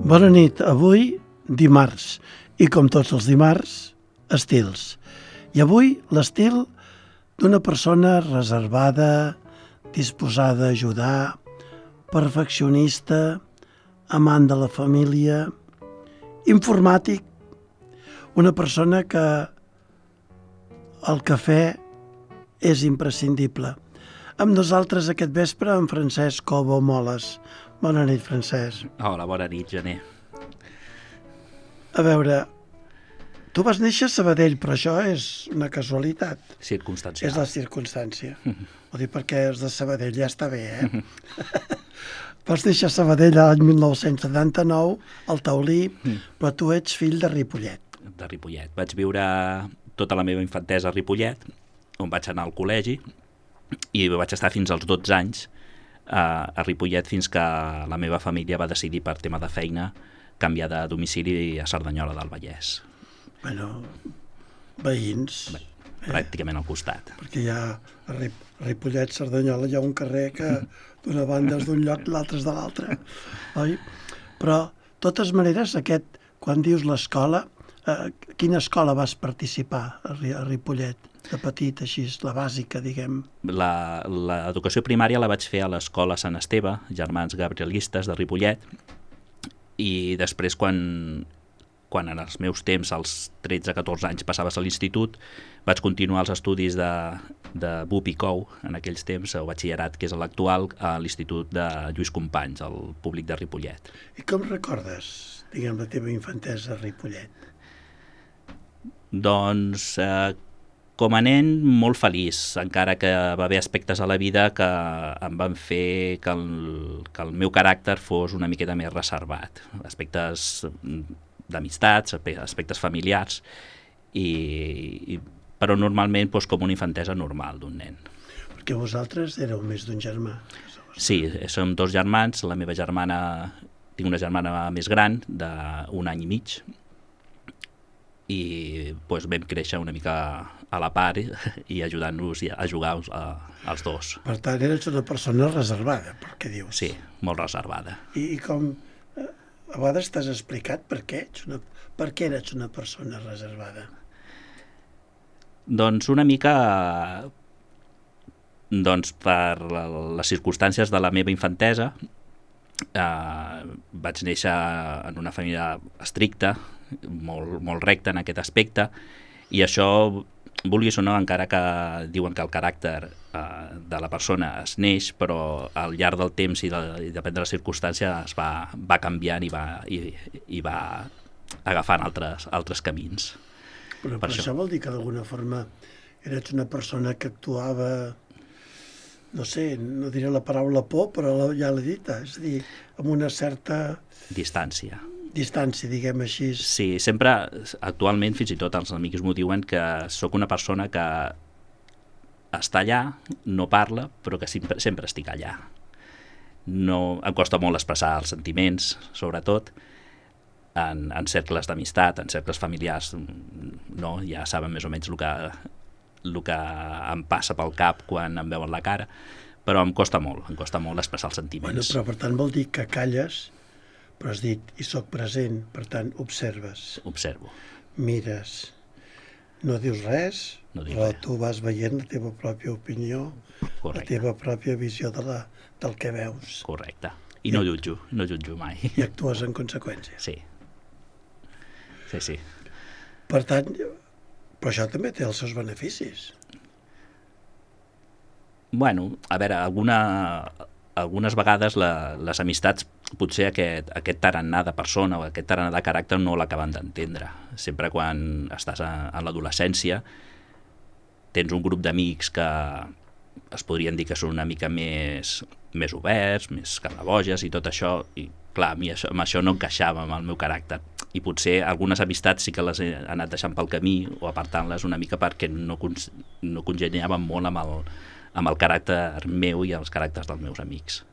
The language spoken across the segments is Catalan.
Bona nit, avui dimarts, i com tots els dimarts, estils. I avui l'estil d'una persona reservada, disposada a ajudar, perfeccionista, amant de la família, informàtic, una persona que el cafè és imprescindible. Amb nosaltres aquest vespre en Francesc Cobo Moles. Bona nit, Francesc. Hola, bona nit, Gené. A veure, tu vas néixer a Sabadell, però això és una casualitat. Circumstancial. És la circumstància. Ho dic perquè és de Sabadell, ja està bé, Vas néixer a Sabadell l'any 1979, al Taulí, però tu ets fill de Ripollet. De Ripollet. Vaig viure tota la meva infantesa a Ripollet, on vaig anar al col·legi, i vaig estar fins als 12 anys a Ripollet fins que la meva família va decidir per tema de feina canviar de domicili a Cerdanyola del Vallès. Bueno, veïns. Pràcticament al costat. Perquè hi ha a Ripollet, Cerdanyola, hi ha un carrer que d'una banda és d'un lloc, l'altre és de l'altre. Oi? Però, de totes maneres, quan dius l'escola, quina escola vas participar a Ripollet? De petit, així, la bàsica, diguem. L'educació primària la vaig fer a l'escola Sant Esteve, Germans Gabrielistes de Ripollet, i després quan en els meus temps, als 13-14 anys, passaves a l'institut, vaig continuar els estudis de BUP i COU, en aquells temps, el batxillerat, que és l'actual, a l'Institut de Lluís Companys, al públic de Ripollet. I com recordes, diguem, la teva infantesa a Ripollet? Doncs, com a nen, molt feliç, encara que va haver aspectes a la vida que em van fer que el meu caràcter fos una miqueta més reservat. Aspectes d'amistats, aspectes familiars, però normalment com una infantesa normal d'un nen. Perquè vosaltres éreu més d'un germà. Sí, som dos germans, la meva germana, tinc una germana més gran, d'un any i mig, i vam créixer una mica a la part i ajudant-nos a jugar els dos. Per tant, eres una persona reservada, pel que dius. Sí, molt reservada. I com a vegades t'has explicat per què eres una persona reservada? Doncs una mica per les circumstàncies de la meva infantesa. Vaig néixer en una família estricta, molt recta en aquest aspecte, i això, vulguis o no, encara que diuen que el caràcter de la persona es neix, però al llarg del temps i depèn de la circumstància es va canviant i va agafant altres camins. Però per això vol dir que d'alguna forma eres una persona que actuava, no sé, no diré la paraula por, però ja l'he dita, és a dir, amb una certa distància, diguem així. Sí, sempre, actualment, fins i tot els amics m'ho diuen, que sóc una persona que està allà, no parla, però que sempre estic allà. No, em costa molt expressar els sentiments, sobretot, en cercles d'amistat, en cercles familiars, no, ja saben més o menys el que em passa pel cap quan em veuen la cara, però em costa molt expressar els sentiments. Bueno, però per tant vol dir que calles, però has dit, i soc present, per tant, observes. Observo. Mires. No dius res, però tu vas veient la teva pròpia opinió, la teva pròpia visió del que veus. Correcte. I no jutjo mai. I actues en conseqüència. Sí. Sí. Per tant, però això també té els seus beneficis. Bueno, a veure, algunes vegades les amistats, potser aquest tarannà de persona o aquest tarannà de caràcter no l'acaben d'entendre. Sempre quan estàs en l'adolescència tens un grup d'amics que es podrien dir que són una mica més oberts, més carnaboges i tot això, i clar, a mi amb això no encaixava amb el meu caràcter. I potser algunes amistats sí que les he anat deixant pel camí o apartant-les una mica perquè no congeniaven molt amb el caràcter meu i els caràcters dels meus amics.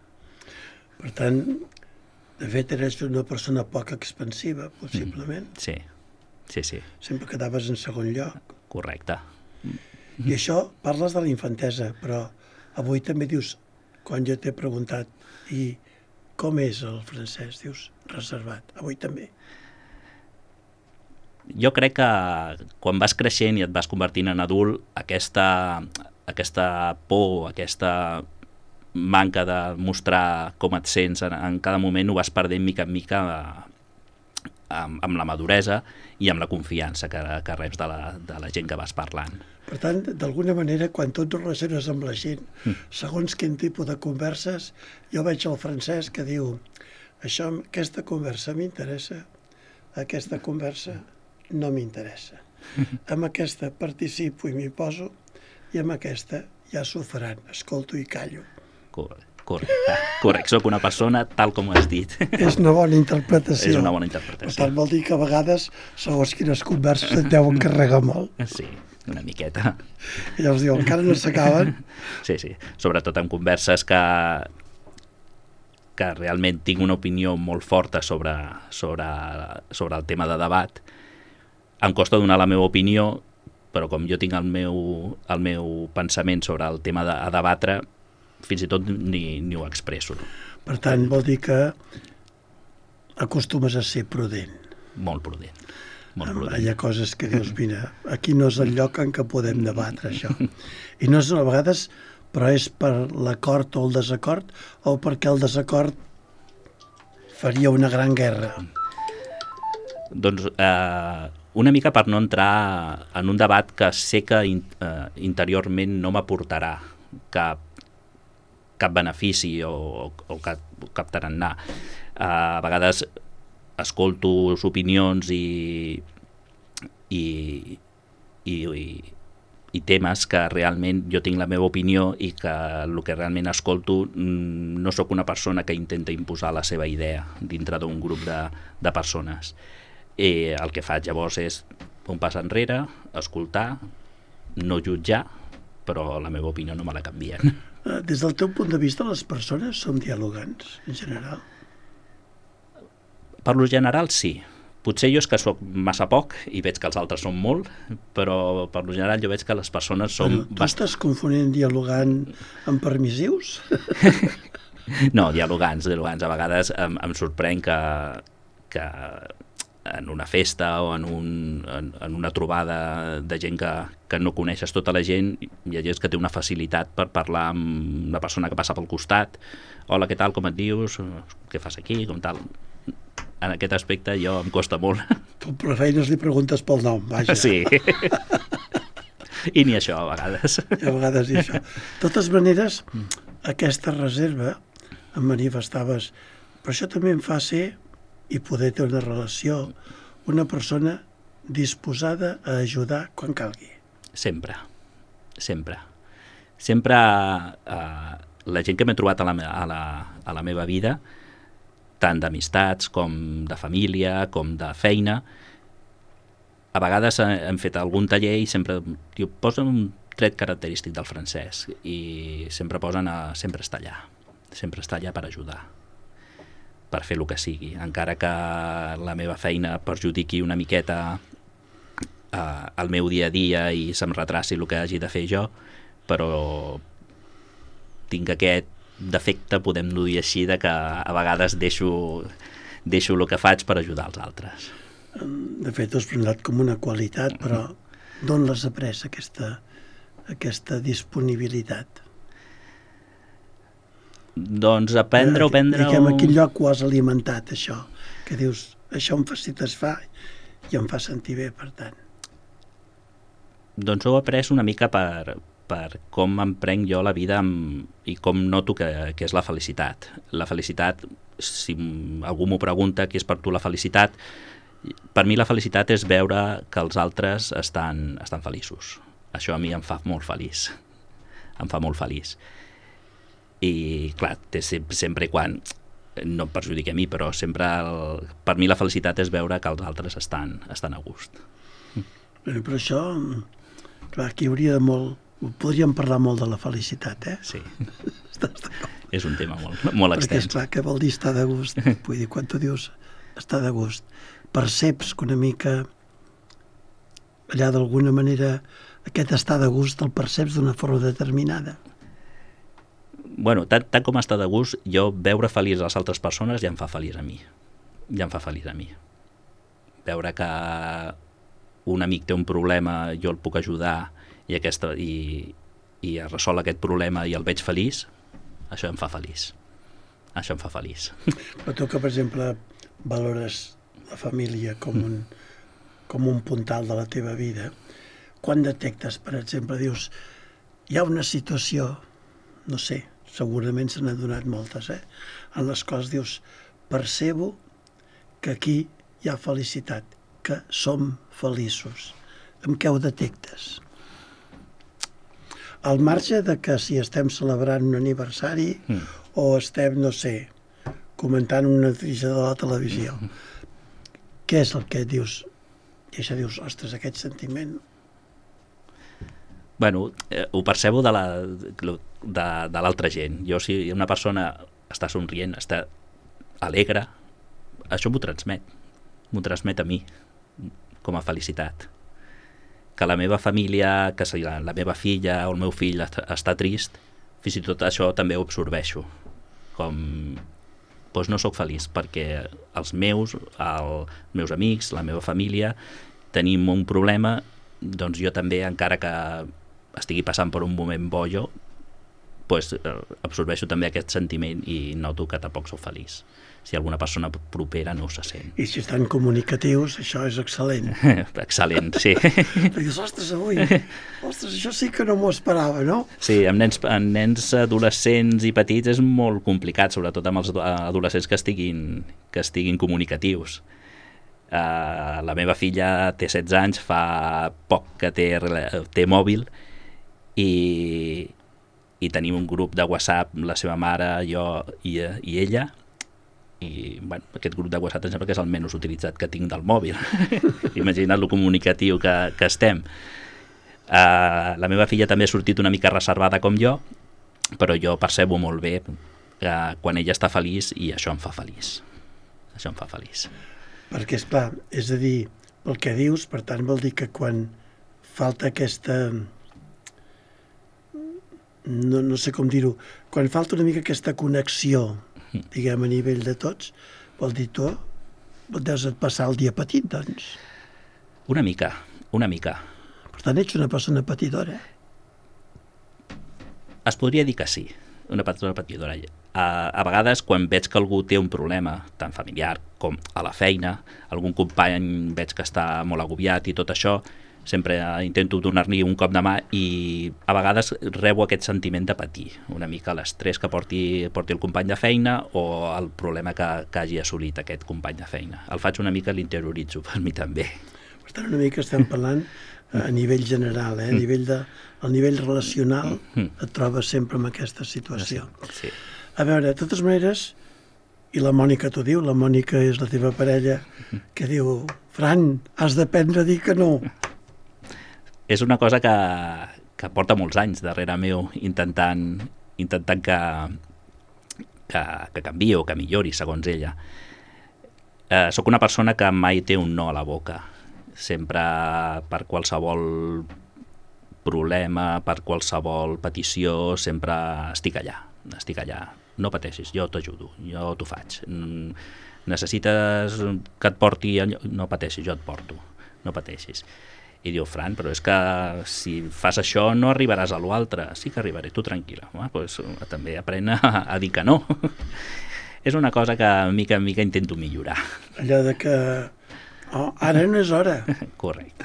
Per tant, de fet, eres una persona poc expansiva, possiblement. Sí. Sempre quedaves en segon lloc. Correcte. I això, parles de la infantesa, però avui també dius, quan jo t'he preguntat, i com és el Francesc? Dius, reservat, avui també. Jo crec que quan vas creixent i et vas convertint en adult, aquesta por, aquesta manca de mostrar com et sents en cada moment ho vas perdent mica en mica amb la maduresa i amb la confiança que reps de la gent que vas parlant. Per tant, d'alguna manera, quan tu et relaciones amb la gent, segons quin tipus de converses, jo veig el Francesc que diu aquesta conversa m'interessa, aquesta conversa no m'interessa. Amb aquesta participo i m'hi poso i amb aquesta ja s'ho faran, escolto i callo. Correcte, soc una persona tal com ho has dit. És una bona interpretació. És una bona interpretació. Per tant, vol dir que a vegades, segons quines converses, et deuen carregar molt. Sí, una miqueta. I llavors diu, encara no s'acaben. Sí, sobretot en converses que realment tinc una opinió molt forta sobre el tema de debat. Em costa donar la meva opinió, però com jo tinc el meu pensament sobre el tema a debatre, fins i tot ni ho expresso. Per tant, vol dir que acostumes a ser prudent. Molt prudent. Hi ha coses que dius, mira, aquí no és el lloc en què podem debatre això. I no és a vegades, però és per l'acord o el desacord, o perquè el desacord faria una gran guerra. Doncs una mica per no entrar en un debat que sé que interiorment no m'aportarà cap benefici o cap tarannà. A vegades escolto opinions i temes que realment jo tinc la meva opinió i que el que realment escolto no sóc una persona que intenta imposar la seva idea dintre d'un grup de persones. El que faig llavors és un pas enrere, escoltar, no jutjar, però la meva opinió no me la canvien. Des del teu punt de vista, les persones som dialogants, en general? Per lo general, sí. Potser jo és que soc massa poc i veig que els altres són molt, però per lo general jo veig que les persones són... Tu estàs confonent dialogant amb permissius? No, dialogants. A vegades em sorprèn que en una festa o en una trobada de gent que no coneixes tota la gent, hi ha gent que té una facilitat per parlar amb una persona que passa pel costat. Hola, què tal, com et dius? Què fas aquí? Com tal? En aquest aspecte jo em costa molt. Tu per feines li preguntes pel nom, vaja. Sí. I ni això, a vegades. I a vegades ni això. De totes maneres, aquesta reserva em manifestaves, però això també em fa ser i poder tenir una relació, una persona disposada a ajudar quan calgui. Sempre. La gent que m'he trobat a la meva vida, tant d'amistats com de família, com de feina, a vegades hem fet algun taller i sempre posen un tret característic del francès i sempre posen sempre està allà per ajudar, per fer el que sigui, encara que la meva feina perjudiqui una miqueta el meu dia a dia i se'm retraci el que hagi de fer jo, però tinc aquest defecte, podem-ho dir així, de que a vegades deixo el que faig per ajudar els altres. De fet, ho has presentat com una qualitat, però d'on l'has après, aquesta disponibilitat? Doncs aprendre... Diguem, a quin lloc ho has alimentat, això? Que dius, això em satisfà i em fa sentir bé, per tant. Doncs ho he après una mica per com em prenc jo la vida i com noto que és la felicitat. La felicitat, si algú m'ho pregunta, què és per tu la felicitat? Per mi la felicitat és veure que els altres estan feliços. Això a mi em fa molt feliç. I clar, sempre quan no em perjudica a mi, però sempre per mi la felicitat és veure que els altres estan a gust. Per això, clar, aquí hauria de molt... Podríem parlar molt de la felicitat, eh? Sí. És un tema molt extens. Perquè, esclar, què vol dir estar de gust? Vull dir, quan tu dius estar de gust, perceps que una mica allà d'alguna manera aquest estar de gust el perceps d'una forma determinada? Bueno, tant com estar de gust, jo veure feliç a les altres persones ja em fa feliç a mi. ja em fa feliç a mi. Veure que un amic té un problema, jo el puc ajudar i es resol aquest problema i el veig feliç, això em fa feliç. Això em fa feliç. Però tu que, per exemple, valores la família com un puntal de la teva vida, quan detectes, per exemple, dius, hi ha una situació, no sé, segurament se n'han donat moltes, en les quals dius, percebo que aquí hi ha felicitat, que som feliços. Amb què ho detectes? Al marge de que si estem celebrant un aniversari o estem, no sé, comentant una notícia de la televisió, què és el que dius? I això dius, ostres, aquest sentiment... Bueno, ho percebo de l'altra gent. Jo, si una persona està somrient, està alegre, això m'ho transmet a mi, com a felicitat. Que la meva família, que la meva filla o el meu fill està trist, fins i tot això també ho absorbeixo. Doncs no sóc feliç, perquè els meus amics, la meva família, tenim un problema, doncs jo també, encara que estigui passant per un moment bo jo, doncs absorbeixo també aquest sentiment i noto que tampoc sóc feliç. Si alguna persona propera no se sent. I si estan comunicatius, això és excel·lent. Excel·lent, sí. Dius, ostres, això sí que no m'ho esperava, no? Sí, amb nens adolescents i petits és molt complicat, sobretot amb els adolescents que estiguin comunicatius. La meva filla té 16 anys, fa poc que té mòbil i tenim un grup de WhatsApp, la seva mare, jo i ella, i bueno, aquest grup de WhatsApp em sembla que és el menys utilitzat que tinc del mòbil. Imagina't lo comunicatiu que estem. La meva filla també ha sortit una mica reservada com jo, però jo percebo molt bé quan ella està feliç i això em fa feliç. Això em fa feliç. Perquè, esclar, és a dir, pel que dius, per tant, vol dir que quan falta aquesta... No sé com dir-ho, quan falta una mica aquesta connexió, diguem, a nivell de tots, vol dir tu, deus passar el dia petit, doncs. Una mica. Per tant, ets una persona petidora. Es podria dir que sí, una persona petidora. A vegades, quan veig que algú té un problema, tant familiar com a la feina, algun company veig que està molt agobiat i tot això, sempre intento donar-li un cop de mà i a vegades rebo aquest sentiment de patir, una mica l'estrès que porti el company de feina o el problema que hagi assolit aquest company de feina. El faig una mica, l'interioritzo per mi també. Per tant, una mica estem parlant a nivell general, a nivell relacional et trobes sempre en aquesta situació. Sí. A veure, de totes maneres, i la Mònica t'ho diu, la Mònica és la teva parella, que diu, Fran, has d'aprendre a dir que no. És una cosa que porta molts anys darrere meu intentant que canviï o que millori, segons ella. Soc una persona que mai té un no a la boca. Sempre, per qualsevol problema, per qualsevol petició, sempre estic allà. No pateixis, jo t'ajudo, jo t'ho faig. Necessites que et porti... No pateixis, jo et porto, no pateixis. I diu, Fran, però és que si fas això no arribaràs a l'altre. Sí que arribaré, tu tranquil·la. Doncs també aprèn a dir que no. És una cosa que mica en mica intento millorar. Allò de que ara no és hora. Correcte.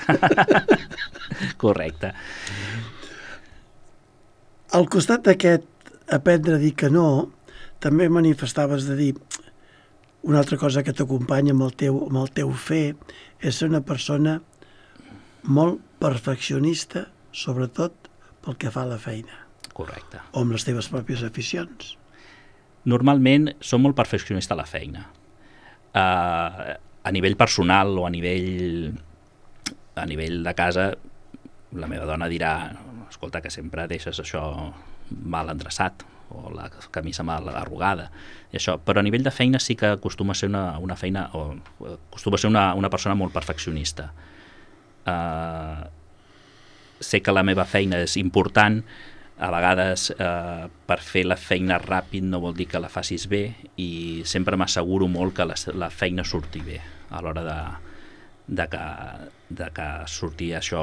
Correcte. Al costat d'aquest aprendre a dir que no, també manifestaves de dir una altra cosa que t'acompanya amb el teu fer, és ser una persona molt perfeccionista, sobretot pel que fa a la feina. Correcte. O amb les teves pròpies aficions. Normalment som molt perfeccionista a la feina. A nivell personal o a nivell de casa, la meva dona dirà, escolta, que sempre deixes això mal endreçat o la camisa mal arrugada i això, però a nivell de feina sí que acostuma a ser una persona molt perfeccionista. Sé que la meva feina és important, A vegades per fer la feina ràpid no vol dir que la facis bé, i sempre m'asseguro molt que la feina surti bé a l'hora de que surti això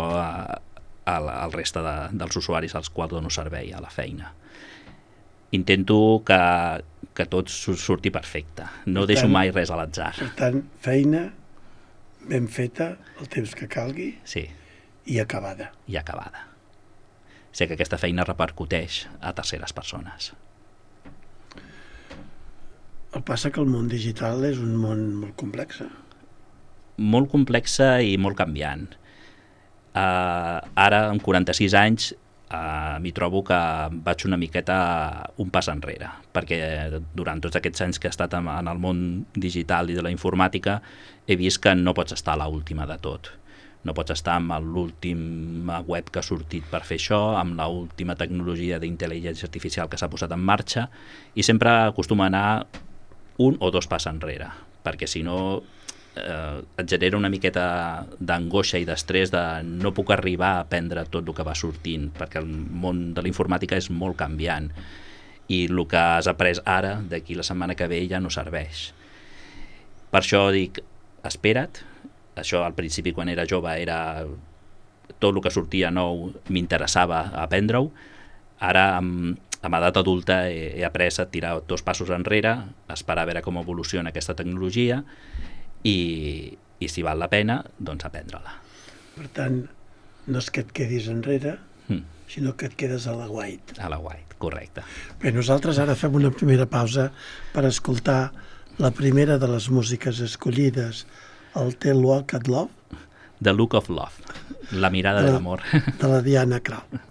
al reste dels usuaris als quals dono servei a la feina. Intento que tot surti perfecte, no deixo mai res a l'atzar. Per tant, feina ben feta, el temps que calgui, sí, i acabada. I acabada. Sé que aquesta feina repercuteix a terceres persones. El passa que el món digital és un món molt complex. Molt complexa i molt canviant. Ara, amb 46 anys, m'hi trobo que vaig una miqueta un pas enrere, perquè durant tots aquests anys que he estat en el món digital i de la informàtica he vist que no pots estar a l'última de tot. No pots estar amb l'última web que ha sortit per fer això, amb l'última tecnologia d'intel·ligència artificial que s'ha posat en marxa, i sempre acostuma a anar un o dos pas enrere, perquè si no et genera una miqueta d'angoixa i d'estrès de no puc arribar a aprendre tot el que va sortint, perquè el món de la informàtica és molt canviant i el que has après ara, d'aquí la setmana que ve, ja no serveix. Per això dic, espera't. Això al principi, quan era jove, era tot el que sortia nou m'interessava aprendre-ho. Ara, amb edat adulta, he après a tirar dos passos enrere, esperar a veure com evoluciona aquesta tecnologia i si val la pena, doncs aprendre-la. Per tant, no és que et quedis enrere, sinó que et quedes a l'aguait. A l'aguait, correcte. Bé, nosaltres ara fem una primera pausa per escoltar la primera de les músiques escollides, el The Look at Love. The Look of Love, la mirada de l'amor. De la Diana Krall.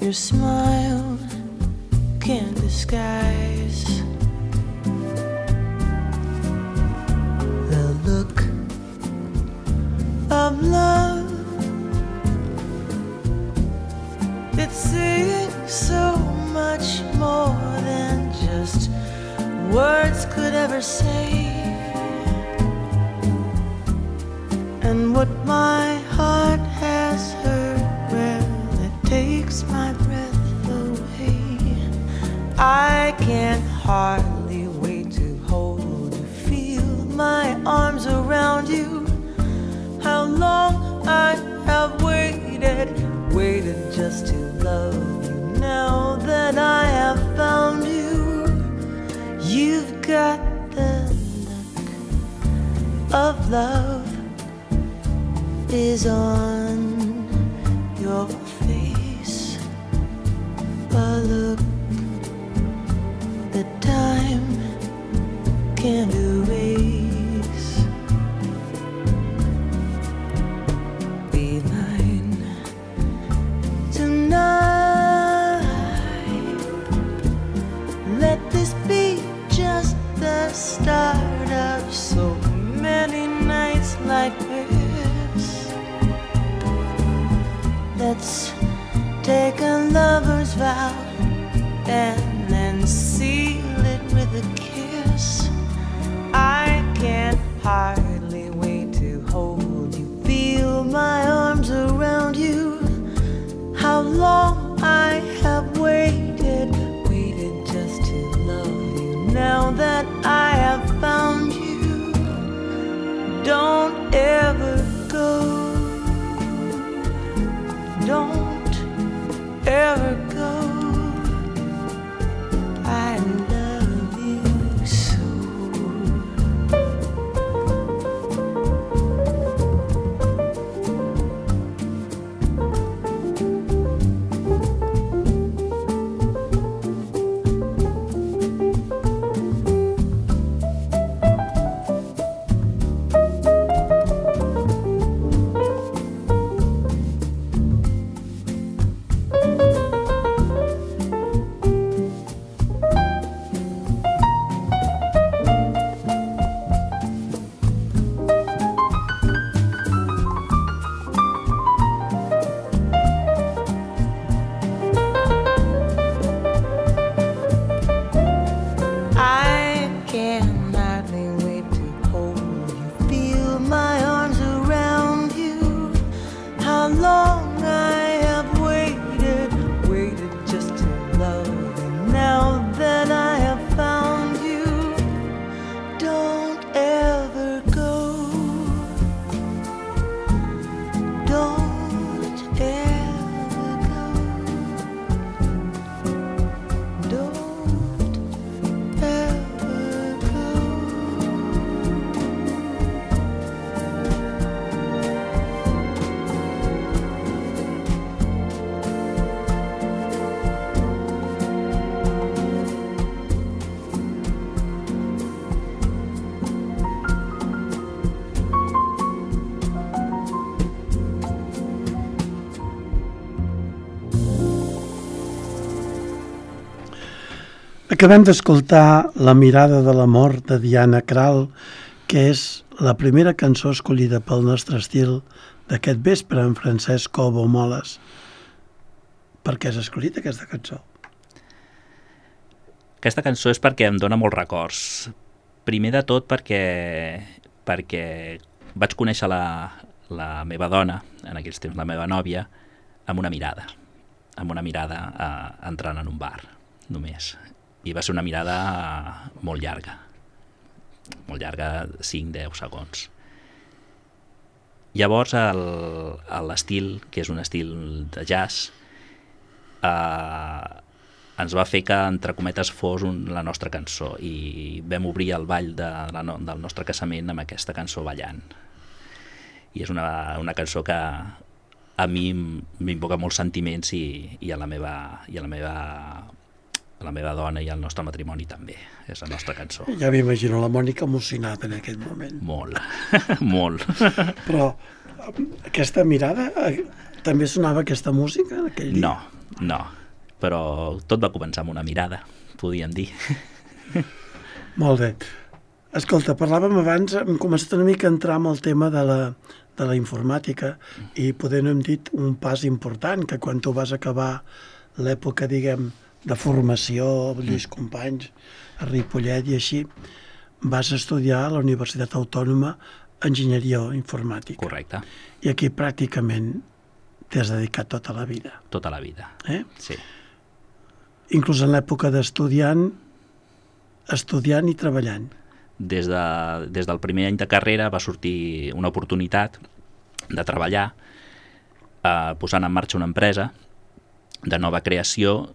Your smile can't disguise the look of love. It's saying so much more than just words could ever say. And what my heart has heard, well, it takes my breath away. I can hardly wait to hold you, feel my arms around you. How long I have waited just to love you. Now that I have found you, you've got the look of love is on your face, a look that time can't erase. Be mine tonight. Let this be just the start of so many nights like this. Let's take a lover's vow and then seal it with a kiss. I can't hardly wait to hold you, feel my arms around you. How long I have waited just to love you. Now that I have found you, don't ever go. Don't ever go. I love you so. Acabem d'escoltar La mirada de l'amor de Diana Krall, que és la primera cançó escollida pel nostre estil d'aquest vespre en Francesc Cobo Moles. Per què has escollit aquesta cançó? Aquesta cançó és perquè em dona molts records. Primer de tot perquè vaig conèixer la meva dona, en aquells temps la meva nòvia, amb una mirada entrant en un bar, només. I va ser una mirada molt llarga, 5-10 segons. Llavors l'estil, que és un estil de jazz, ens va fer que, entre cometes, fos la nostra cançó, i vam obrir el ball del nostre casament amb aquesta cançó ballant. I és una cançó que a mi m'invoca molts sentiments, i a la meva dona i al nostre matrimoni també. És la nostra cançó. Ja m'imagino la Mònica emocionada en aquest moment. Molt, molt. Però aquesta mirada, també sonava aquesta música en aquell dia? No, però tot va començar amb una mirada, podríem dir. Molt bé. Escolta, parlàvem abans, hem començat una mica a entrar amb el tema de la informàtica, i poder no hem dit un pas important, que quan tu vas acabar l'època, diguem, de formació, Lluís Companys, a Ripollet i així, vas estudiar a la Universitat Autònoma Enginyeria Informàtica. Correcte. I aquí pràcticament t'has dedicat tota la vida. Tota la vida, sí. Inclús en l'època d'estudiant, estudiant i treballant. Des del primer any de carrera va sortir una oportunitat de treballar posant en marxa una empresa de nova creació,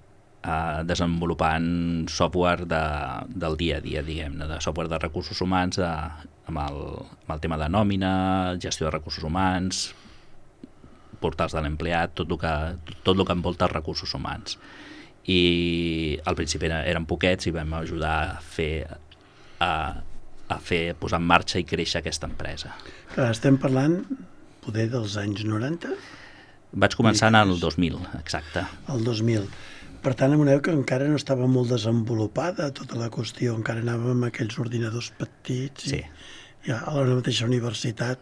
desenvolupant software del dia a dia, diguem-ne, de software de recursos humans, amb el tema de nòmina, gestió de recursos humans, portals de l'empleat, tot el que envolta els recursos humans. I al principi eren poquets i vam ajudar a posar en marxa i créixer aquesta empresa. Clar, estem parlant poder dels anys 90? Vaig començar en el 2000, exacte. El 2000. Per tant, en una època encara no estava molt desenvolupada tota la qüestió, encara anàvem amb aquells ordinadors petits, sí. I a la mateixa universitat,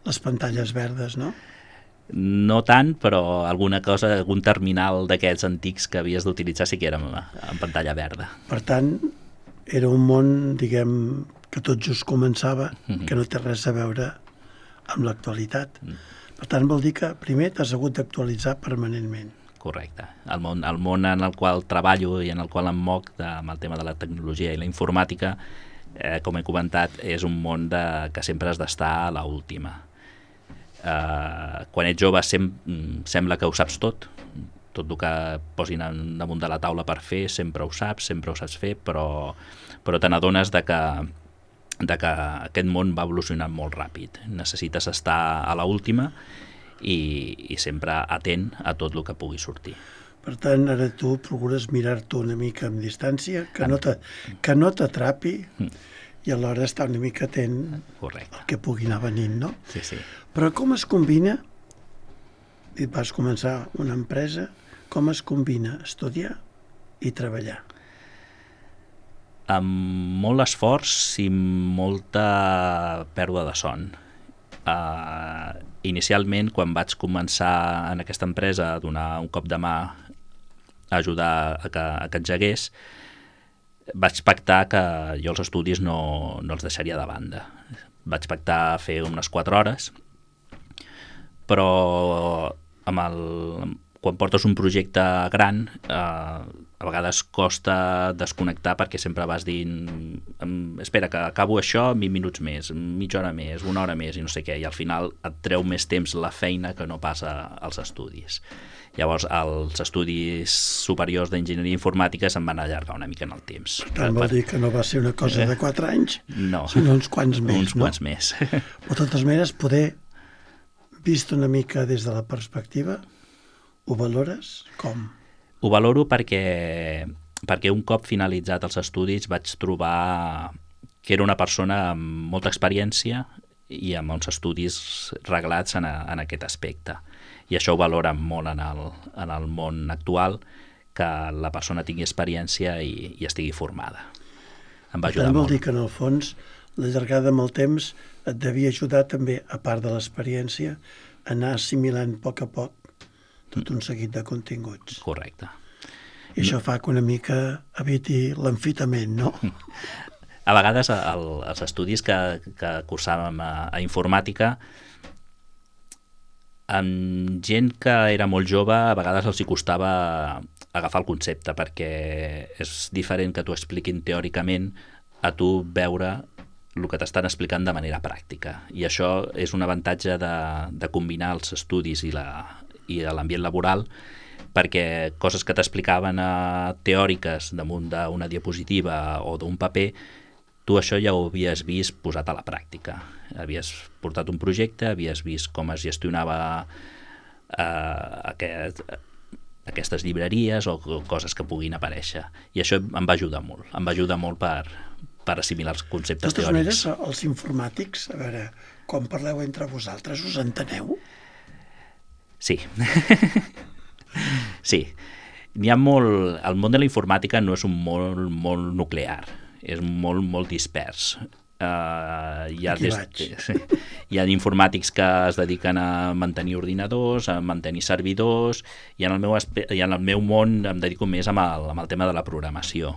les pantalles verdes, no? No tant, però algun terminal d'aquests antics que havies d'utilitzar sí que era en pantalla verda. Per tant, era un món, diguem, que tot just començava, que no té res a veure amb l'actualitat. Per tant, vol dir que primer t'has hagut d'actualitzar permanentment. Correcte. El món en el qual treballo i en el qual em moc amb el tema de la tecnologia i la informàtica, com he comentat, és un món que sempre has d'estar a l'última. Quan ets jove sembla que ho saps tot el que posin damunt de la taula per fer, sempre ho saps fer, però te n'adones que aquest món va evolucionant molt ràpid. Necessites estar a l'última i sempre atent a tot el que pugui sortir. Per tant, ara tu procures mirar-t'ho una mica amb distància, que no t'atrapi, i alhora estar una mica atent al que pugui anar venint, no? Sí, sí. Però com es combina, vas començar una empresa, com es combina estudiar i treballar? Amb molt esforç i molta pèrdua de son. Inicialment, quan vaig començar en aquesta empresa a donar un cop de mà, a ajudar a que engegués, vaig pactar que jo els estudis no els deixaria de banda. Vaig pactar fer unes 4 hores, però quan portes un projecte gran, a vegades costa desconnectar, perquè sempre vas dient espera, que acabo això 20 minuts més, mitja hora més, 1 hora més, i no sé què, i al final et treu més temps la feina que no passa als estudis. Llavors, els estudis superiors d'enginyeria informàtica se'n van allargar una mica en el temps. Per tant, vol dir que no va ser una cosa de 4 anys, no, sinó uns quants més, uns quants més. Però de totes maneres, poder, vist una mica des de la perspectiva, ho valores com? Ho valoro perquè un cop finalitzat els estudis vaig trobar que era una persona amb molta experiència i amb uns estudis reglats en aquest aspecte. I això ho valora molt en el món actual, que la persona tingui experiència i estigui formada. Em va Per ajudar tant, vol molt. dir que en el fons la llargada amb el temps et devia ajudar també, a part de l'experiència, a anar assimilant a poc tot un seguit de continguts. Correcte. I això fa que una mica eviti l'enfitament, no? A vegades els estudis que cursàvem a informàtica, amb gent que era molt jove, a vegades els hi costava agafar el concepte, perquè és diferent que t'ho expliquin teòricament a tu veure el que t'estan explicant de manera pràctica. I això és un avantatge de combinar els estudis i l'ambient laboral, perquè coses que t'explicaven teòriques damunt d'una diapositiva o d'un paper, tu això ja ho havies vist posat a la pràctica. Havies portat un projecte, havies vist com es gestionava aquestes llibreries o coses que puguin aparèixer. I això em va ajudar molt. Em va ajudar molt per assimilar els conceptes De totes teòrics. maneres, els informàtics, a veure, quan parleu entre vosaltres, us enteneu? Sí. Sí. N'hi ha molt... El món de la informàtica no és un món molt nuclear, és molt dispers. Hi ha informàtics que es dediquen a mantenir ordinadors, a mantenir servidors, i en el meu món em dedico més amb el tema de la programació.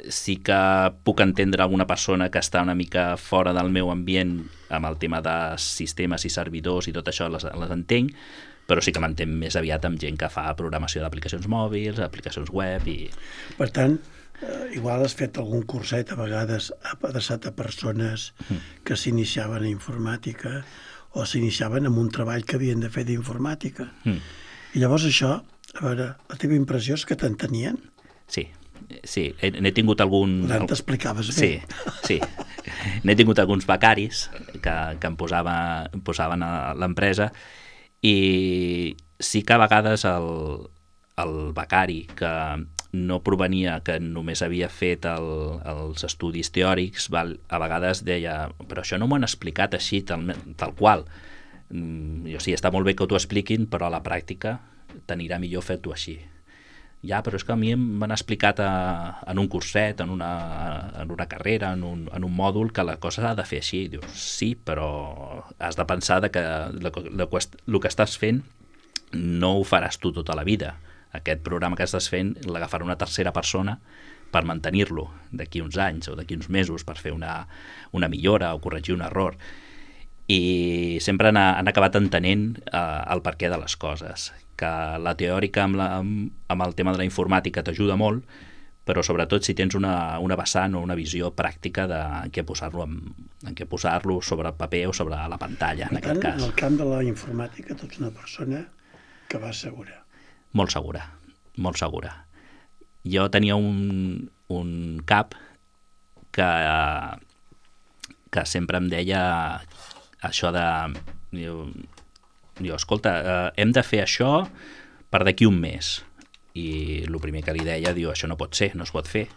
Sí que puc entendre alguna persona que està una mica fora del meu ambient amb el tema de sistemes i servidors i tot això les entenc, però sí que m'entenc més aviat amb gent que fa programació d'aplicacions mòbils, aplicacions web i... Per tant, igual has fet algun curset a vegades adreçat a persones que s'iniciaven a informàtica o s'iniciaven en un treball que havien de fer d'informàtica. I llavors això, a veure, la teva impressió és que t'entenien? Sí, n'he tingut algun... T'explicaves bé. Sí. N'he tingut alguns becaris que em posaven a l'empresa i sí que a vegades el becari que no provenia, que només havia fet els estudis teòrics, a vegades deia, però això no m'ho han explicat així, tal qual. Jo sí, està molt bé que t'ho expliquin, però a la pràctica t'anirà millor fer-t'ho així. Ja, però és que a mi m'han explicat en un curset, en una carrera, en un mòdul, que la cosa s'ha de fer així. I dius, sí, però has de pensar que el que estàs fent no ho faràs tu tota la vida. Aquest programa que estàs fent l'agafarà una tercera persona per mantenir-lo d'aquí uns anys o d'aquí uns mesos, per fer una millora o corregir un error. I sempre han acabat entenent el perquè de les coses, que la teòrica amb el tema de la informàtica t'ajuda molt, però sobretot si tens una vessant o una visió pràctica de en què posar-lo sobre el paper o sobre la pantalla, en aquest cas. En el camp de la informàtica tu ets una persona que va segura. Molt segura. Jo tenia un cap que sempre em deia això de... Diu, escolta, hem de fer això per d'aquí un mes. I el primer que li deia, diu, això no pot ser, no es pot fer.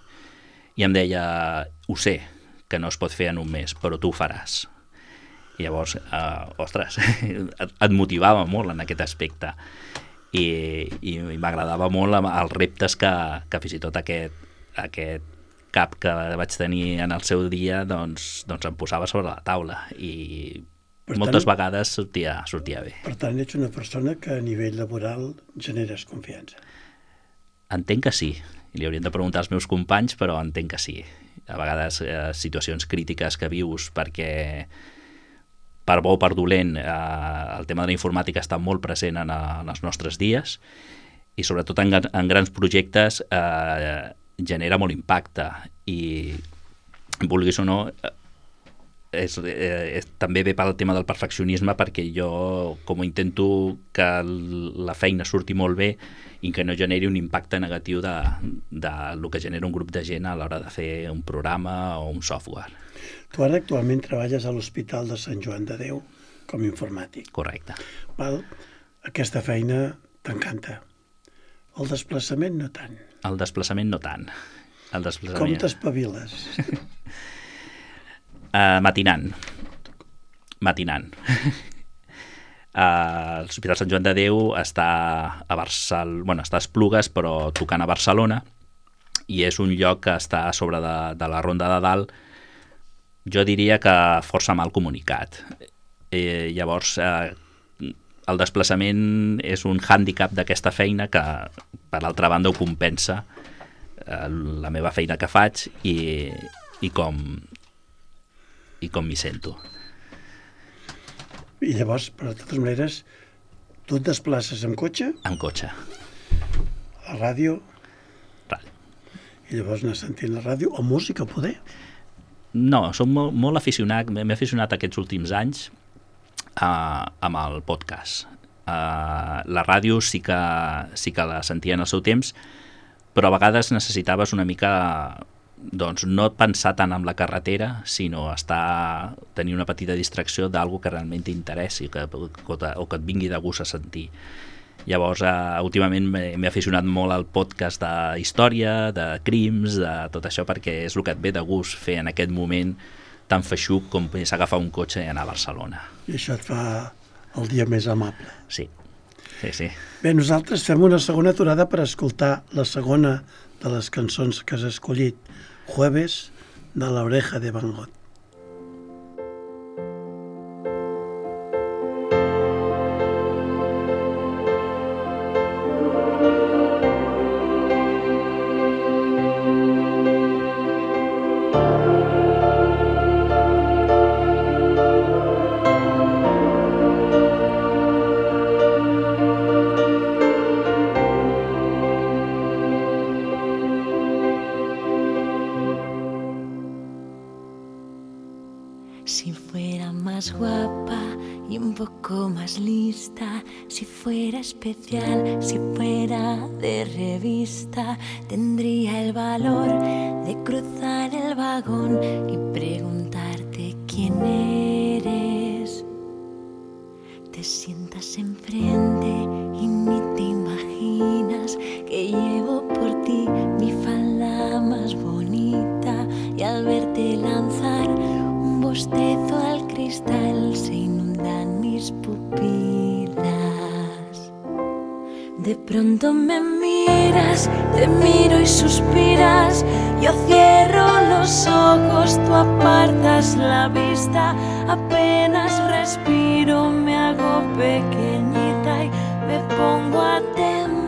I em deia, ho sé, que no es pot fer en un mes, però tu ho faràs. I llavors, ostres, et motivava molt en aquest aspecte. I m'agradava molt els reptes que fins i tot aquest cap que vaig tenir en el seu dia doncs em posava sobre la taula i moltes vegades sortia bé. Per tant, ets una persona que a nivell laboral generes confiança. Entenc que sí. Li haurien de preguntar als meus companys, però entenc que sí. A vegades situacions crítiques que vius perquè per bo o per dolent el tema de la informàtica està molt present en els nostres dies i sobretot en grans projectes genera molt impacte i vulguis o no també ve pel tema del perfeccionisme, perquè jo com intento que la feina surti molt bé i que no generi un impacte negatiu de lo que genera un grup de gent a l'hora de fer un programa o un software. Tu ara actualment treballes a l'Hospital de Sant Joan de Déu com a informàtic. Correcte. Val? Aquesta feina t'encanta. El desplaçament no tant. El desplaçament no tant. Com t'espaviles? Matinant. L'Hospital Sant Joan de Déu està està a Esplugues, però tocant a Barcelona, i és un lloc que està a sobre de la Ronda de Dalt, jo diria que força mal comunicat. Llavors, el desplaçament és un hàndicap d'aquesta feina que, per l'altra banda, ho compensa la meva feina que faig i com m'hi sento. I llavors, però de totes maneres, tu et desplaces amb cotxe? Amb cotxe. A la ràdio? Ràdio. I llavors anar sentint la ràdio o música, poder? No, som molt aficionat, m'he aficionat aquests últims anys amb el podcast. La ràdio sí que la sentia en el seu temps, però a vegades necessitaves una mica, doncs, no pensar tant en la carretera, sinó tenir una petita distracció d'algú que realment t'interessi o que et vingui de gust a sentir. Llavors, últimament m'he aficionat molt al podcast d'història, de crims, de tot això, perquè és el que et ve de gust fer en aquest moment tan feixuc com és agafar un cotxe i anar a Barcelona. I això et fa el dia més amable. Sí. Bé, nosaltres fem una segona aturada per escoltar la segona de les cançons que has escollit, Jueves, de La Oreja de Van Gogh. Si fuera más guapa y un poco más lista, si fuera especial, si fuera de revista, tendría el valor de cruzar el vagón y preguntarte quién eres. Te sientas enfrente y ni te imaginas que llevo por ti mi falda más bonita, y al verte lanzar un bostezo al cristal se inundan mis pupilas. De pronto me miras, te miro y suspiras, yo cierro los ojos, tú apartas la vista, apenas respiro, me hago pequeñita y me pongo a temblar.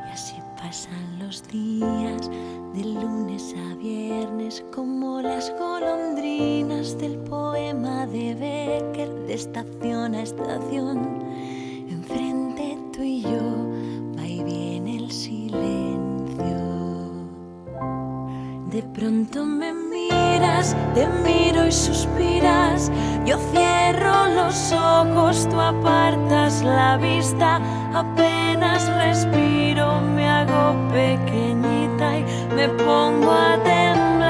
Y así pasan los días, de lunes a viernes, como las golondrinas del poema de Becker, de estación a estación. Enfrente tú y yo, va y viene el silencio. De pronto me miras, te miro y suspiras, yo cierro los ojos, tú apartas la vista, apenas respiro, me hago pequeñita y me pongo a temblar.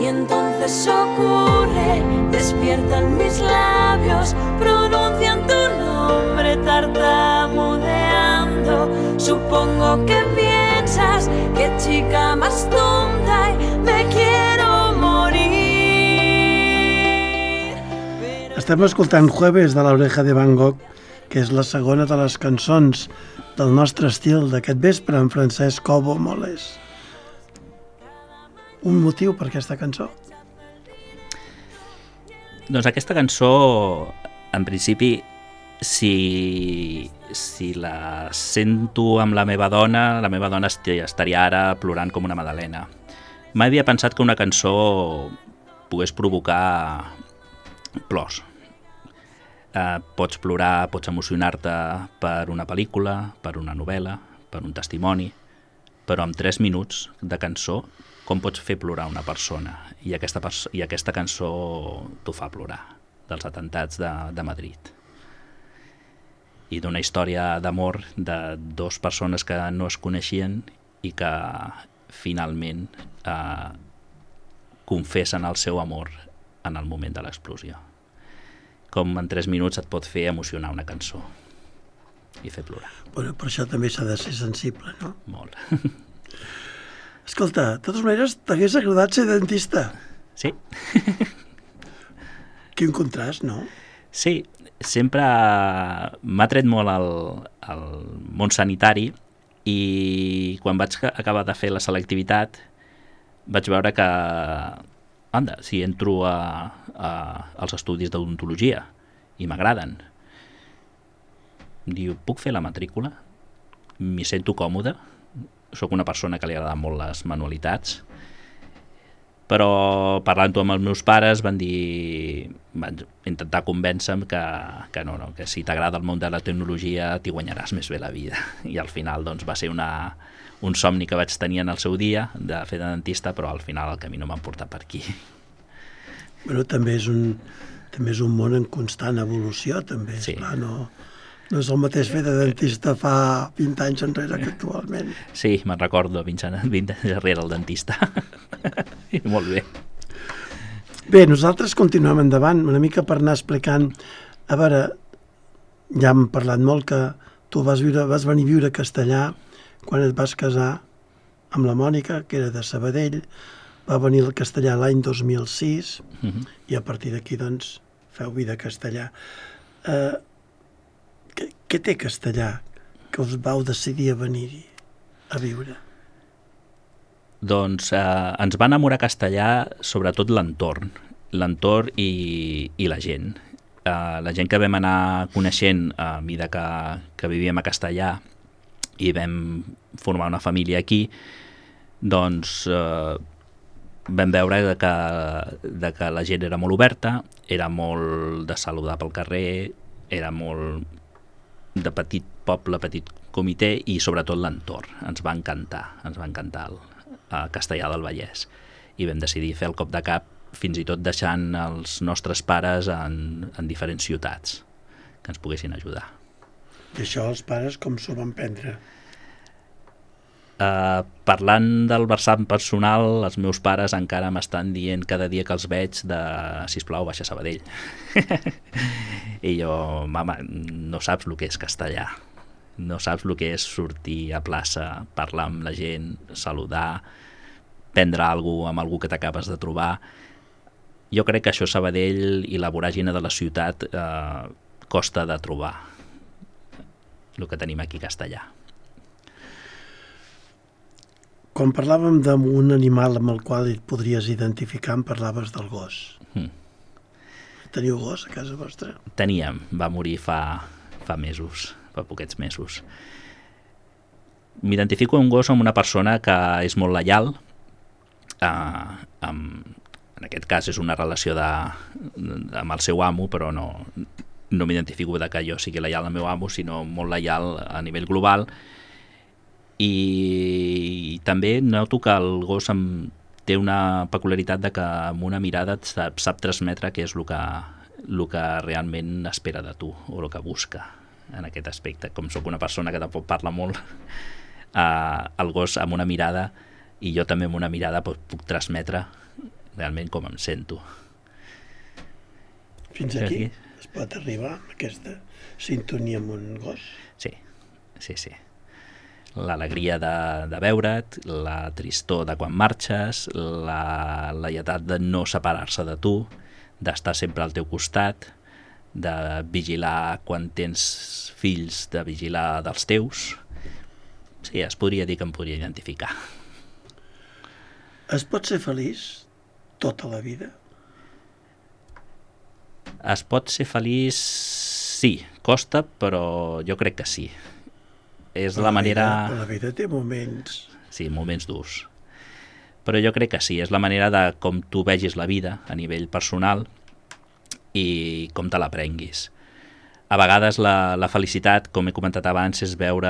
Y entonces ocurre, despiertan mis labios, pronuncian tu nombre tartamudeando. Supongo que piensas, qué chica más tonta, y me quiero morir. Estem escoltant Jueves de La Oreja de Van Gogh, que és la segona de les cançons del nostre estil d'aquest vespre, en Francesc Cobo Moles. Un motiu per aquesta cançó? Doncs aquesta cançó, en principi, si la sento amb la meva dona estaria ara plorant com una magdalena. Mai havia pensat que una cançó pogués provocar plors. Pots plorar, pots emocionar-te per una pel·lícula, per una novel·la, per un testimoni, però en 3 minuts de cançó com pots fer plorar una persona? I aquesta cançó t'ho fa plorar, dels atentats de Madrid. I d'una història d'amor de 2 persones que no es coneixien i que finalment confessen el seu amor en el moment de l'explosió. Com en 3 minuts et pot fer emocionar una cançó i fer plorar. Bueno, per això també s'ha de ser sensible, no? Molt. Escolta, de totes maneres, t'hagués agradat ser dentista? Sí. Quin contrast, no? Sí, sempre m'ha tret molt el món sanitari i quan vaig acabar de fer la selectivitat vaig veure que, anda, si entro als estudis d'odontologia i m'agraden, diu, puc fer la matrícula? M'hi sento còmode, sóc una persona que li agraden molt les manualitats, però parlant-ho amb els meus pares van intentar convèncer-me que no, que si t'agrada el món de la tecnologia t'hi guanyaràs més bé la vida, i al final doncs, va ser un somni que vaig tenir en el seu dia de fer de dentista, però al final el camí no m'ha portat per aquí. Bueno, també és un món en constant evolució, també, Sí. Esclar, no és el mateix fer de dentista fa 20 anys enrere que actualment. Sí, me'n recordo 20 anys darrere el dentista. Molt bé. Bé, nosaltres continuem endavant, una mica per anar explicant. A veure, ja hem parlat molt que tu vas venir a viure a Castellà quan et vas casar amb la Mònica, que era de Sabadell, va venir al Castellà l'any 2006 i a partir d'aquí, doncs, feu vida a Castellà. Què té Castellà que us vau decidir a venir-hi a viure? Doncs ens va enamorar Castellà sobretot l'entorn i la gent. La gent que vam anar coneixent a mesura que vivíem a Castellà i vam formar una família aquí, doncs vam veure que la gent era molt oberta, era molt de saludar pel carrer, era molt de petit poble, petit comitè, i sobretot l'entorn. Ens va encantar a Castellar del Vallès, i vam decidir fer el cop de cap, fins i tot deixant els nostres pares en diferents ciutats que ens poguessin ajudar. I això els pares com s'ho van prendre? Parlant del versant personal, els meus pares encara m'estan dient cada dia que els veig sisplau, baixa a Sabadell. I jo, mama, no saps el que és Castellà, no saps el que és sortir a plaça, parlar amb la gent, saludar, prendre alguna cosa amb algú que t'acabes de trobar. Jo crec que això a Sabadell i la voràgina de la ciutat costa de trobar el que tenim aquí a Castellà. Quan parlàvem d'un animal amb el qual et podries identificar, em parlaves del gos. Teniu gos a casa vostra? Teníem, va morir fa mesos, fa poquets mesos. M'identifico un gos amb una persona que és molt lleial, en aquest cas és una relació amb el seu amo, però no m'identifico que jo sigui lleial al meu amo, sinó molt lleial a nivell global. I també noto que el gos té una peculiaritat de que amb una mirada et sap transmetre què és el que realment espera de tu o el que busca en aquest aspecte. Com sóc una persona que tampoc parla molt, el gos amb una mirada i jo també amb una mirada puc transmetre realment com em sento. Fins aquí es pot arribar amb aquesta sintonia amb un gos? Sí. L'alegria de veure't, la tristor de quan marxes, la lletat de no separar-se de tu, d'estar sempre al teu costat, de vigilar quan tens fills, de vigilar dels teus. Sí, es podria dir que em podria identificar. Es pot ser feliç tota la vida? Es pot ser feliç, sí, costa, però jo crec que sí. És la manera... La vida té moments... Sí, moments durs. Però jo crec que sí, és la manera de com tu vegis la vida a nivell personal i com te la prenguis. A vegades la felicitat, com he comentat abans, és veure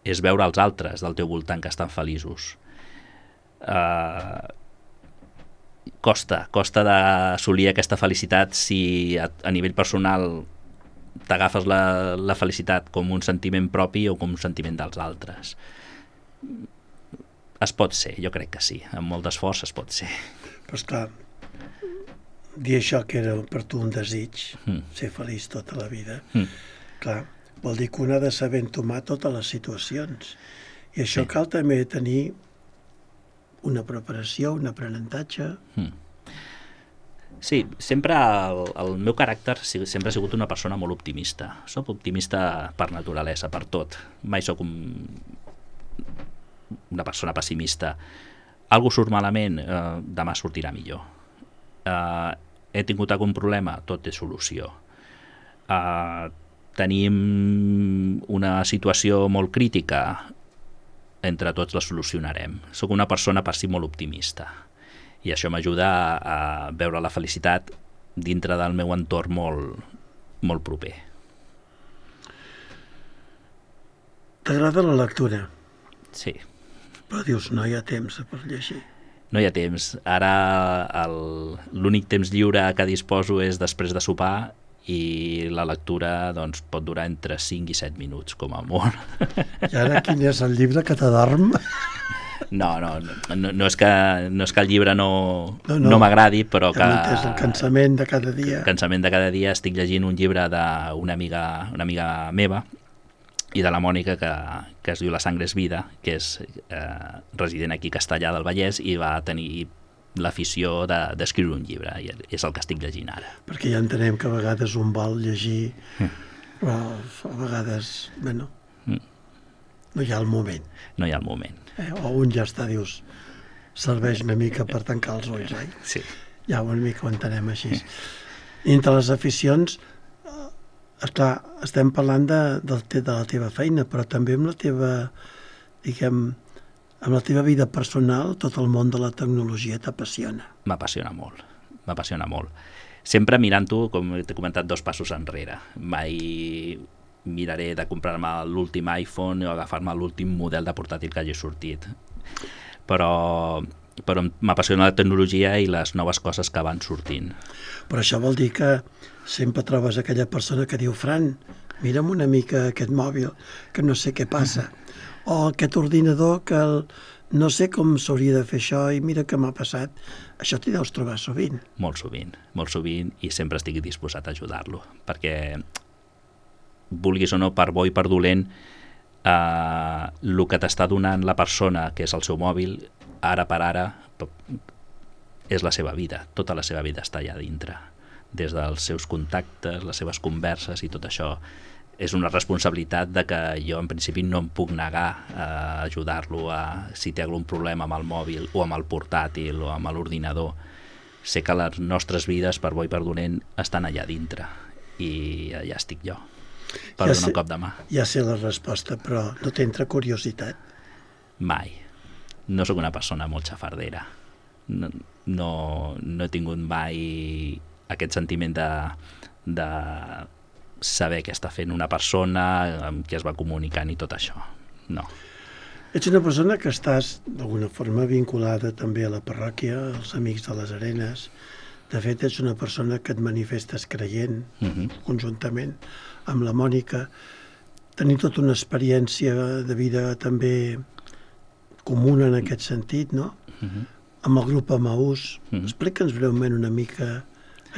els altres del teu voltant que estan feliços. Costa d'assolir aquesta felicitat si a nivell personal t'agafes la felicitat com un sentiment propi o com un sentiment dels altres. Es pot ser, jo crec que sí, amb molt d'esforç es pot ser. Però esclar, dir això que era per tu un desig, ser feliç tota la vida, clar, vol dir que un ha de saber entomar totes les situacions. I això cal també tenir una preparació, un aprenentatge. Sí, sempre el meu caràcter sempre ha sigut una persona molt optimista. Soc optimista per naturalesa, per tot. Mai sóc una persona pessimista. Algú surt malament, demà sortirà millor. He tingut algun problema, tot té solució. Tenim una situació molt crítica, entre tots la solucionarem. Soc una persona per si molt optimista i això m'ajuda a veure la felicitat dintre del meu entorn molt proper. T'agrada la lectura? Sí. Però dius, no hi ha temps per llegir. No hi ha temps. Ara l'únic temps lliure que disposo és després de sopar i la lectura doncs, pot durar entre 5 i 7 minuts, com a molt. I ara quin és el llibre que t'adorm? No és que el llibre no m'agradi, però que... És el cansament de cada dia. El cansament de cada dia. Estic llegint un llibre d'una amiga meva i de la Mònica que es diu La sangre és vida, que és resident aquí a Castellar del Vallès i va tenir l'afició d'escriure un llibre i és el que estic llegint ara. Perquè ja entenem que a vegades un vol llegir, però a vegades, no hi ha el moment. No hi ha el moment. O un ja està, dius, serveix una mica per tancar els ulls, oi? Sí. Ja una mica ho entenem així. I entre les aficions, esclar, estem parlant de la teva feina, però també amb la teva, diguem, amb la teva vida personal, tot el món de la tecnologia t'apassiona. M'apassiona molt. Sempre mirant-ho, com t'he comentat, 2 passos enrere. Mai miraré de comprar-me l'últim iPhone o agafar-me l'últim model de portàtil que hagi sortit. Però m'apassiona la tecnologia i les noves coses que van sortint. Però això vol dir que sempre trobes aquella persona que diu, Fran, mira'm una mica aquest mòbil, que no sé què passa. O aquest ordinador que no sé com s'hauria de fer això i mira què m'ha passat. Això t'hi deus trobar sovint. Molt sovint i sempre estic disposat a ajudar-lo, perquè vulguis o no, per bo i per dolent, el que t'està donant la persona, que és el seu mòbil, ara per ara, és la seva vida. Tota la seva vida està allà dintre. Des dels seus contactes, les seves converses i tot això. És una responsabilitat de que jo en principi no em puc negar a ajudar-lo si té algun problema amb el mòbil o amb el portàtil o amb l'ordinador. Sé que les nostres vides, per bo i per dolent, estan allà dintre i allà estic jo, per donar un cop de mà. Ja sé la resposta, però no t'entra curiositat? Mai. No sóc una persona molt xafardera. No he tingut mai aquest sentiment de saber què està fent una persona, amb qui es va comunicant i tot això. No. Ets una persona que estàs d'alguna forma vinculada també a la parròquia, als Amics de les Arenes. De fet, ets una persona que et manifestes creient, conjuntament amb la Mònica. Tenim tota una experiència de vida també comuna en aquest sentit, no? Amb el grup Emaús. Explica'ns breument una mica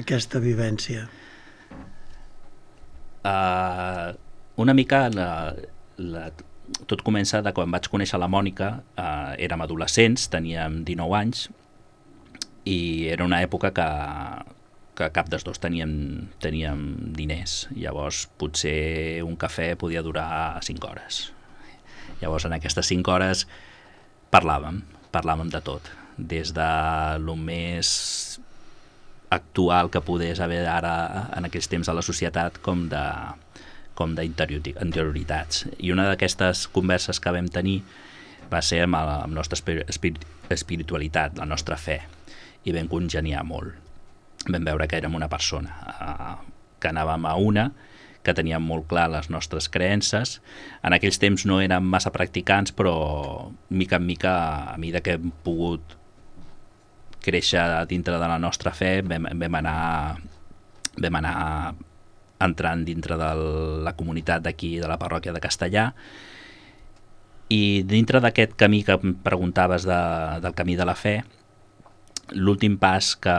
aquesta vivència. Una mica tot comença de quan vaig conèixer la Mònica. Érem adolescents, teníem 19 anys i era una època que cap dels dos teníem diners. Llavors potser un cafè podia durar 5 hores. Llavors en aquestes 5 hores parlàvem de tot, des de lo més actual que podés haver ara en aquells temps a la societat com d'interioritats. I una d'aquestes converses que vam tenir va ser amb la nostra espiritualitat, la nostra fe, i vam congeniar molt. Vam veure que érem una persona, que anàvem a una, que teníem molt clar les nostres creences. En aquells temps no érem massa practicants, però mica en mica, a mesura que hem pogut créixer dintre de la nostra fe, vam anar entrant dintre de la comunitat d'aquí, de la parròquia de Castellar, i dintre d'aquest camí que em preguntaves del camí de la fe, l'últim pas que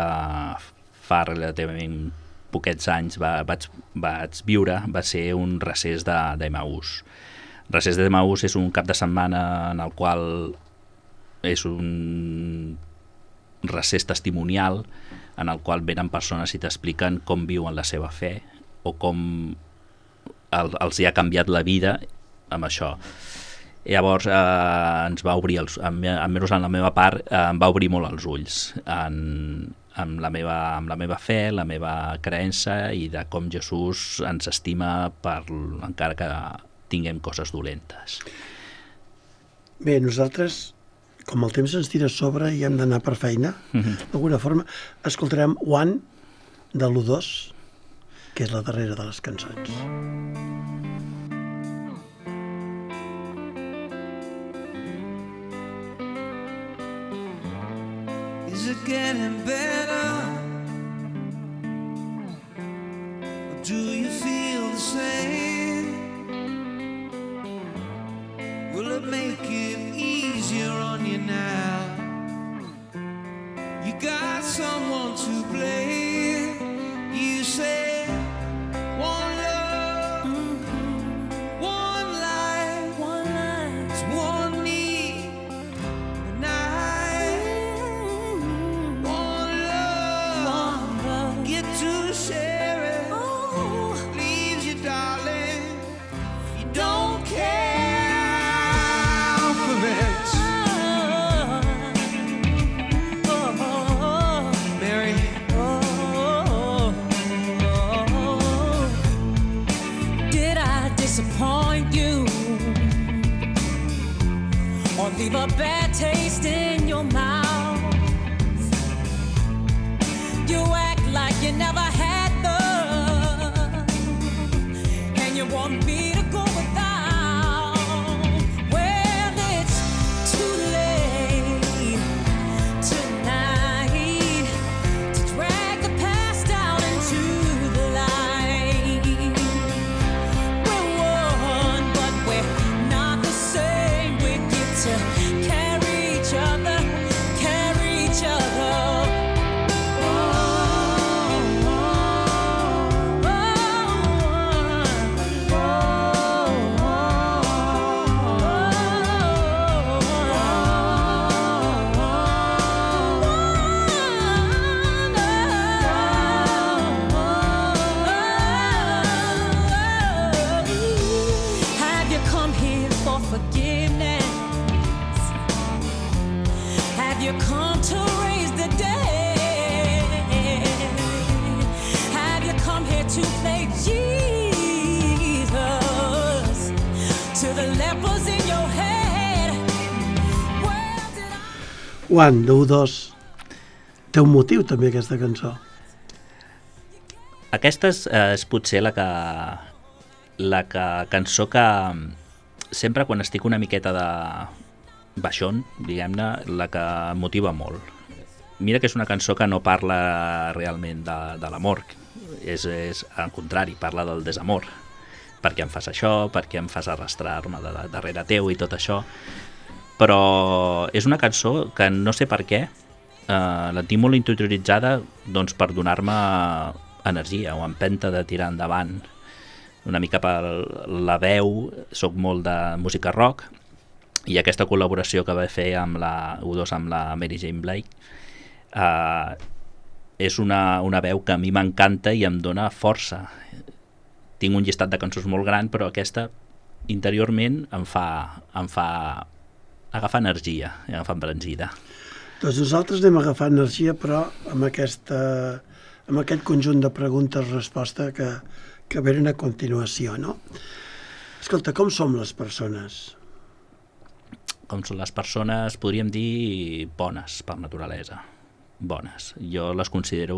fa relativament poquets anys vaig viure va ser un recés d'Emaús. Recés d'Emaús és un cap de setmana en el qual és recés testimonial en el qual venen persones i t'expliquen com viuen la seva fe o com els hi ha canviat la vida amb això. Llavors ens va obrir, almenys en la meva part, em va obrir molt els ulls amb la meva fe, la meva creença i de com Jesús ens estima encara que tinguem coses dolentes. Bé, nosaltres, com el temps ens tira a sobre i hem d'anar per feina, d'alguna forma, escoltarem One de l'U2, que és la darrera de les cançons. Is it getting better? Or do you feel the same? Will it make it easier on you now? You got someone to blame. You say one love, one life, it's one need, and one love, get to share it. Leaves you, darling, you don't care. Disappoint you or leave a bad taste in your mouth? You act like you never had love, and you want me to go without. Well, it's too late tonight to drag the past out into the light. We're one, but we're not the same. We get to carry each other, carry each other. Have you come here for forgiveness? Have you come to raise the dead? Have you come here to play Jesus to the lepers in your head? Where did I... One, de U2. Té un motiu, també, aquesta cançó. Aquesta és potser la cançó que sempre quan estic una miqueta de baixón, diguem-ne, la que em motiva molt. Mira que és una cançó que no parla realment de l'amor, és al contrari, parla del desamor. Per què em fas això, per què em fas arrastrar-me darrere teu i tot això. Però és una cançó que no sé per què la tinc molt interioritzada, doncs, per donar-me energia o empenta de tirar endavant. Una mica per la veu, soc molt de música rock, i aquesta col·laboració que va fer amb la U2 amb la Mary Jane Blake és una veu que a mi m'encanta i em dona força. Tinc un llistat de cançons molt gran, però aquesta interiorment em fa agafar energia, agafar embranzida. Doncs nosaltres anem a agafar energia, però amb aquest conjunt de preguntes-resposta que venen a continuació, no? Escolta, com som les persones? Com són les persones, podríem dir bones per naturalesa. Bones. Jo les considero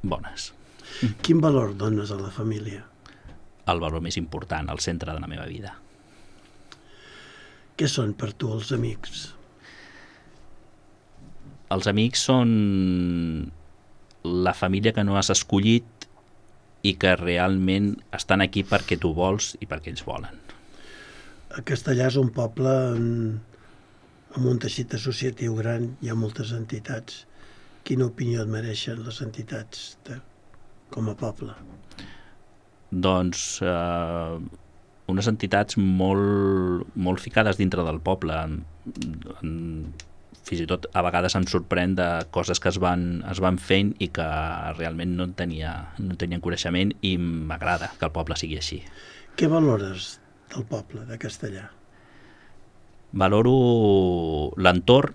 bones. Quin valor dones a la família? El valor més important, al centre de la meva vida. Què són per tu els amics? Els amics són la família que no has escollit i que realment estan aquí perquè tu vols i perquè ells volen. A Castellar és un poble amb un teixit associatiu gran, hi ha moltes entitats. Quina opinió et mereixen les entitats com a poble? Doncs unes entitats molt ficades dintre del poble, fins i tot a vegades em sorprèn de coses que es van fent i que realment no en tenien coneixement, i m'agrada que el poble sigui així. Què valores del poble de Castellar? Valoro l'entorn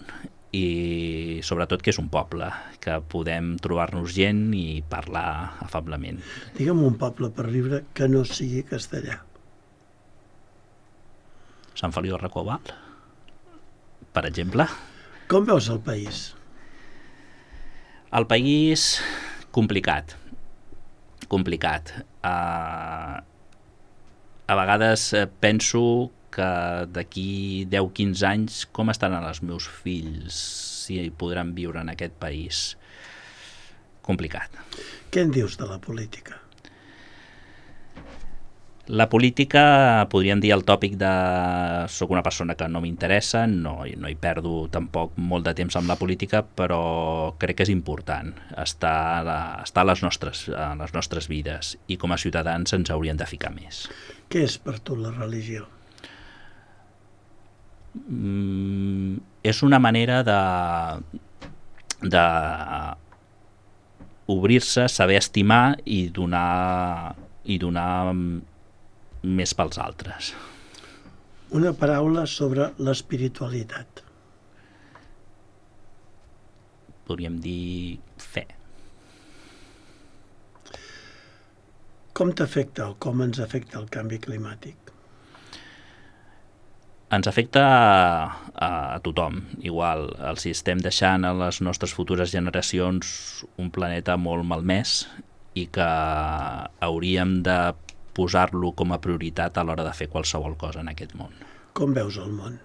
i sobretot que és un poble, que podem trobar-nos gent i parlar afablement. Digue'm un poble per viure que no sigui Castellar. Sant Feliu de Recoval, per exemple. Com veus el país? El país, complicat. A vegades penso que d'aquí 10-15 anys com estaran els meus fills, si podran viure en aquest país. Complicat. Què en dius de la política? La política, podríem dir el tòpic de soc una persona que no m'interessa, no hi perdo tampoc molt de temps amb la política, però crec que és important estar a les nostres vides, i com a ciutadans ens haurien de ficar més. Què és per tu la religió? És una manera de obrir-se, saber estimar i donar més pels altres. Una paraula sobre l'espiritualitat. Podríem dir fe. Com t'afecta o com ens afecta el canvi climàtic? Ens afecta a tothom, igual. Si estem deixant a les nostres futures generacions un planeta molt malmès i que hauríem de posar-lo com a prioritat a l'hora de fer qualsevol cosa en aquest món. Com veus el món?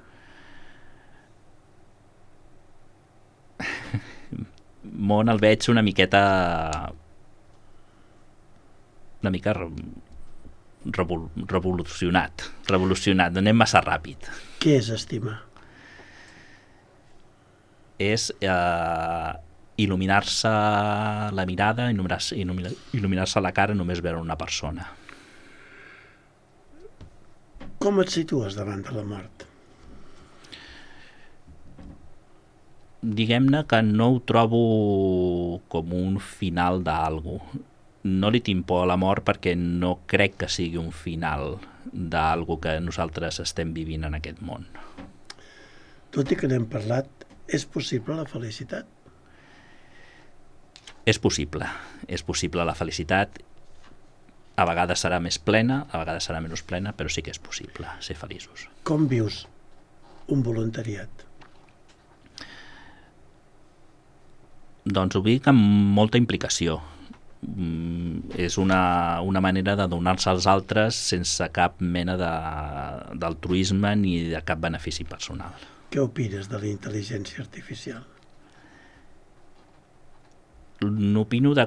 Món el veig una mica revolucionat, anem massa ràpid. Què és estimar? És il·luminar-se la mirada, il·luminar-se la cara només veure una persona. Com et situes davant de la mort? Diguem-ne que no ho trobo com un final d'algú. No li tinc por a la mort perquè no crec que sigui un final d'algú que nosaltres estem vivint en aquest món. Tot i que n'hem parlat, és possible la felicitat? És possible la felicitat. A vegades serà més plena, a vegades serà menys plena, però sí que és possible ser feliços. Com vius un voluntariat? Doncs ho dic amb molta implicació. És una manera de donar-se als altres sense cap mena d'altruisme ni de cap benefici personal. Què opines de la intel·ligència artificial? N'opino de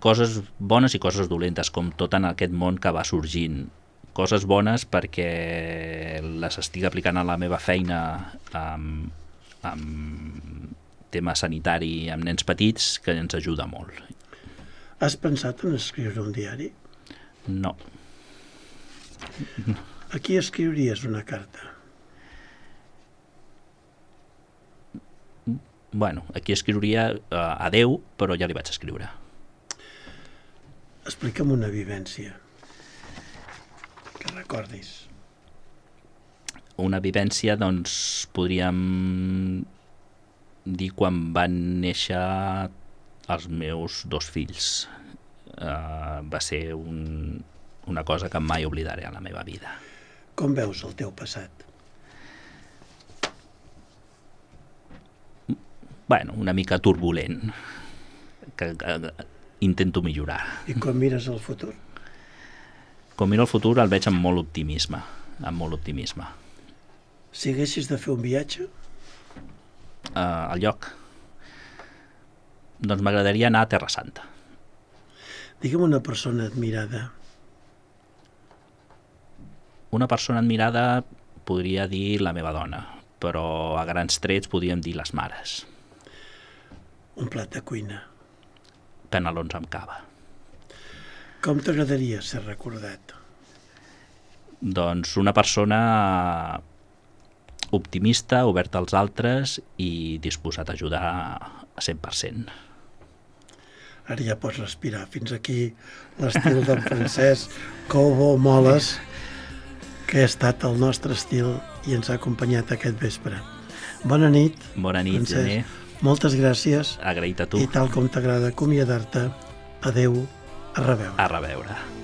coses bones i coses dolentes, com tot en aquest món que va sorgint. Coses bones perquè les estic aplicant a la meva feina amb tema sanitari amb nens petits, que ens ajuda molt. Has pensat en escriure un diari? No. A qui escriuries una carta? Bueno, aquí escriuria a Déu, però ja li vaig escriure. Explica'm una vivència que recordis. Una vivència, doncs, podríem dir quan van néixer els meus 2 fills. Va ser una cosa que mai oblidaré a la meva vida. Com veus el teu passat? Bueno, una mica turbulent, que intento millorar. I quan mires el futur? Quan miro el futur el veig amb molt optimisme, Si haguessis de fer un viatge? Al lloc? Doncs m'agradaria anar a Terra Santa. Digue'm una persona admirada. Una persona admirada podria dir la meva dona, però a grans trets podríem dir les mares. Un plat de cuina. Canelons amb cava. Com t'agradaria ser recordat? Doncs una persona optimista, obert als altres i disposat a ajudar a 100%. Ara ja pots respirar. Fins aquí l'estil d'en Francesc Cobo Moles, que ha estat el nostre estil i ens ha acompanyat aquest vespre. Bona nit. Bona nit, Francesc. Gené. Moltes gràcies. Agraït a tu. I tal com t'agrada acomiadar-te, adeu, a reveure. A reveure.